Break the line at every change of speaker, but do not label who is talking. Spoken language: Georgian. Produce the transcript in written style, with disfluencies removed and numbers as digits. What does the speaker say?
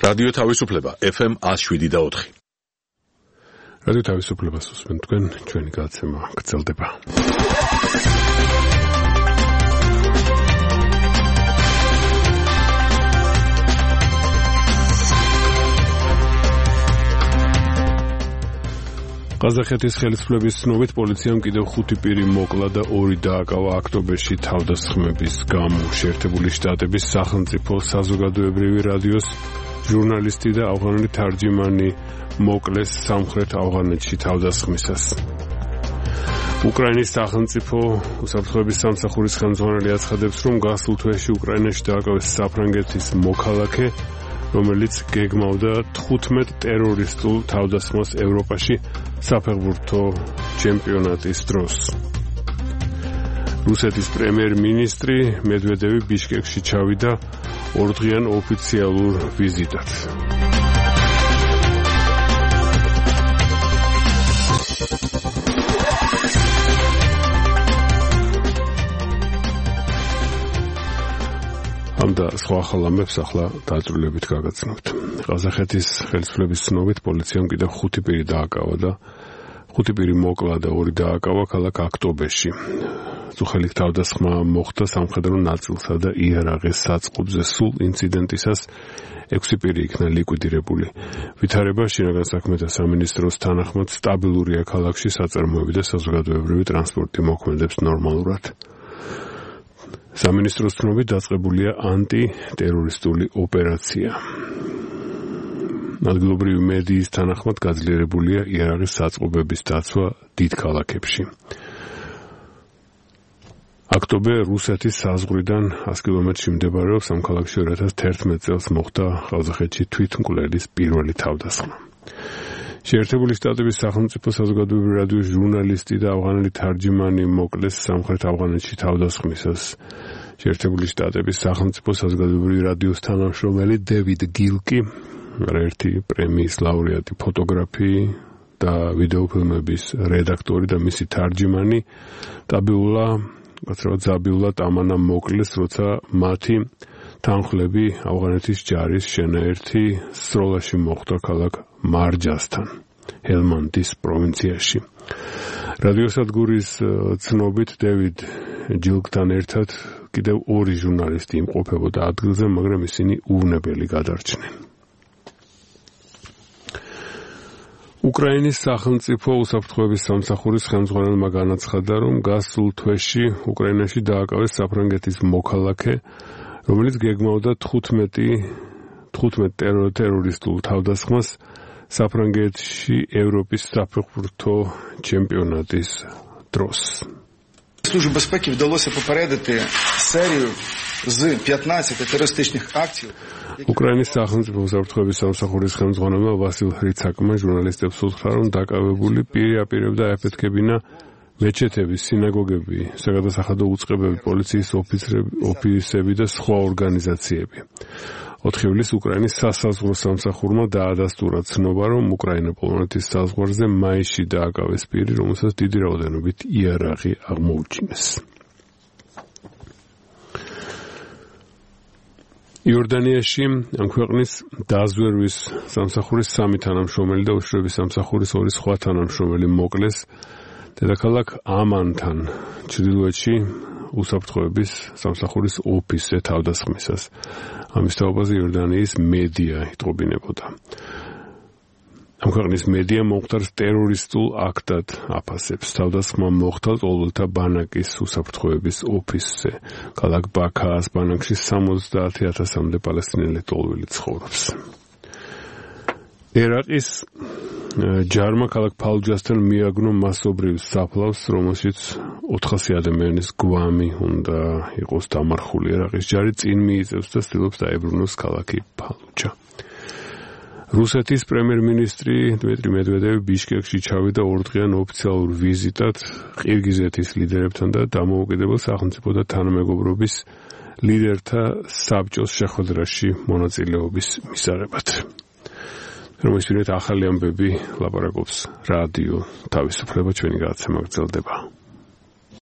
რადიო თავისუფლება FM 107.4.
რადიო თავისუფლებას უსმენთ თქვენ, ჩვენი გადაცემა გრძელდება. ყაზახეთის ხელისუფლების ცნობით პოლიციამ კიდევ 5 პირი მოკლა და 2 დააკავა ოქტომბერში თავდასხმების გამო. შეერთებული შტატების სახელმწიფო საზოგადოებრივი რადიოს ჟურნალისტი და ავღანელი თარჯიმანი მოკლეს სამხრეთ ავღანეთში თავდასხმისას. უკრაინის სახელმწიფო უსაფრთხოების სამსახურის ხელმძღვანელი აცხადებს, რომ გასულ თვეში უკრაინაში დააკავეს საფრანგეთის მოქალაქე, რომელიც გეგმავდა 15 ტერორისტულ თავდასხმას ევროპაში საფეხბურთო ჩემპიონატის დროს. რუსეთის პრემიერ-მინისტრი მედვედევი ბიშკეკში ჩავიდა ორდღიან ოფიციალურ ვიზიტად. ამ და სხვა ახალამებს ახლა დაწვრილებით გაგაცნობთ. ყაზახეთის ხელისუფლების ცნობით პოლიციამ კიდევ 5 პირი დააკავა და 5 პირი მოკლა და 2 დააკავა ქალაქ ოქტომბერში. წუხელი თავდასხმა მოხდა სამხედრო ნაწილსა და იარაღის საწყობზე. სულ ინციდენტისას 6 პირი იქნა ლიკვიდირებული. ვითარება შინაგან საქმეთა სამინისტროს თანახმად სტაბილურია ქალაქში, საწარმოები და საზოგადოებრივი ტრანსპორტი მოქმედებს ნორმალურად. სამინისტროს ცნობით დაწყებულია ანტიტერორისტული ოპერაცია. ადგილობრივი მედიის თანახმად გაძლიერებულია იარაღის საწყობების დაცვა დიდ ქალაქებში. ოქტომბერ რუსეთის საზღვრიდან 100 კილომეტრში მდებარეობს ამ ქალაქში 2011 წელს მოხდა ყაზახეთში თვითმკვლელის პირველი თავდასხმა. შეერთებული შტატების სახელმწიფო საზოგადოებრივი რადიოს ჟურნალისტი და ავღანელი თარჯიმანი მოკლეს სამხრეთ ავღანეთში თავდასხმისას. შეერთებული შტატების სახელმწიფო საზოგადოებრივი რადიოს თანამშრომელი დევიდ გილკი, ერთი პრემიის ლაურეატი ფოტოგრაფი და ვიდეოფილმების რედაქტორი და მისი თარჯიმანი ზაბიულა ტამანა მოკლეს, როცა მათი თანხლები ავღანეთის ჯარის შენაერთი სროლაში მოხდა ქალაქ მარჯასთან, ჰელმანდის პროვინციაში. რადიოსადგურის ცნობით დევიდ ჯილკთან ერთად კიდევ 2 ჟურნალისტი იმყოფებოდა ადგილზე, მაგრამ ისინი უვნებელი გადარჩნენ. უკრაინის სახელმწიფო უსაფრთხოების სამსახურის ხელმძღვანელმა განაცხადა, რომ გასულ თვეში უკრაინაში დააკავეს საფრანგეთის მოქალაქე, რომელიც გეგმავდა 15 ტერორისტულ თავდასხმას საფრანგეთში ევროპის საფეხბურთო ჩემპიონატის დროს.
Службі безпеки вдалося попередити серію з 15 терористичних акцій.
უკრაინის სახელმწიფო უსაფრთხოების სამსახურის ხელმძღვანელმა ვასილ ხრიცაკმა ჟურნალისტებს უთხრა, რომ დაკავებული პირი აპირებდა ეფეთქებინა მეჩეთები, სინაგოგები, საგადასახადო უწყებები, პოლიციის ოფისები და სხვა ორგანიზაციები. 4 ივლისს უკრაინის სასაზღვრო სამსახურმა დაადასტურა ცნობა, რომ უკრაინა-პოლონეთის საზღვარზე მაისში დააკავეს პირი, რომელსაც დიდი რაოდენობით იარაღი აღმოუჩინეს. იორდანიაში ამ ქვეყნის დაზვერვის სამსახურის 3 თანამშრომელი და უშიშროების სამსახურის 2 სხვა თანამშრომელი მოკლეს დედაქალაქ ამანთან, ჩრდილოეთში უსაფრთხოების სამსახურის ოფისზე თავდასხმისას. ამის თაობაზე იორდანიის მედია იტყობინებოდა. ამ ქვეყნის მედია მომხდარს ტერორისტულ აქტად აფასებს. თავდასხმა მოხდა ლოლთა ბანაკის უსაფრთხოების ოფისზე. ქალაქ ბაქაას ბანაკში 70,000-მდე პალესტინელი ტოლვილი ცხოვრობს. ერაყის ჯარმა ქალაქ ფალუჯასთან მიაგნო მასობრივ საფლავს, რომელშიც 400 ადამიანის გვამი უნდა იყოს დამარხული. ერაყის ჯარი წინ მიიწევს და ცდილობს დაებრუნოს ქალაქი ფალუჯა. რუსეთის პრემიერ-მინისტრი დმიტრი მედვედევი ბიშკეკში ჩავიდა ორდღიან ოფიციალურ ვიზიტად ყირგიზეთის ლიდერებთან და დამოუკიდებელ სახელმწიფო და თანამეგობრობის ლიდერთა საბჭოს შეხვედრაში მონაწილეობის მისაღებად. რომლის პირით ახალი ამბები ლაპარაკობს რადიო თავისუფლება, ჩვენი გადაცემა გრძელდება.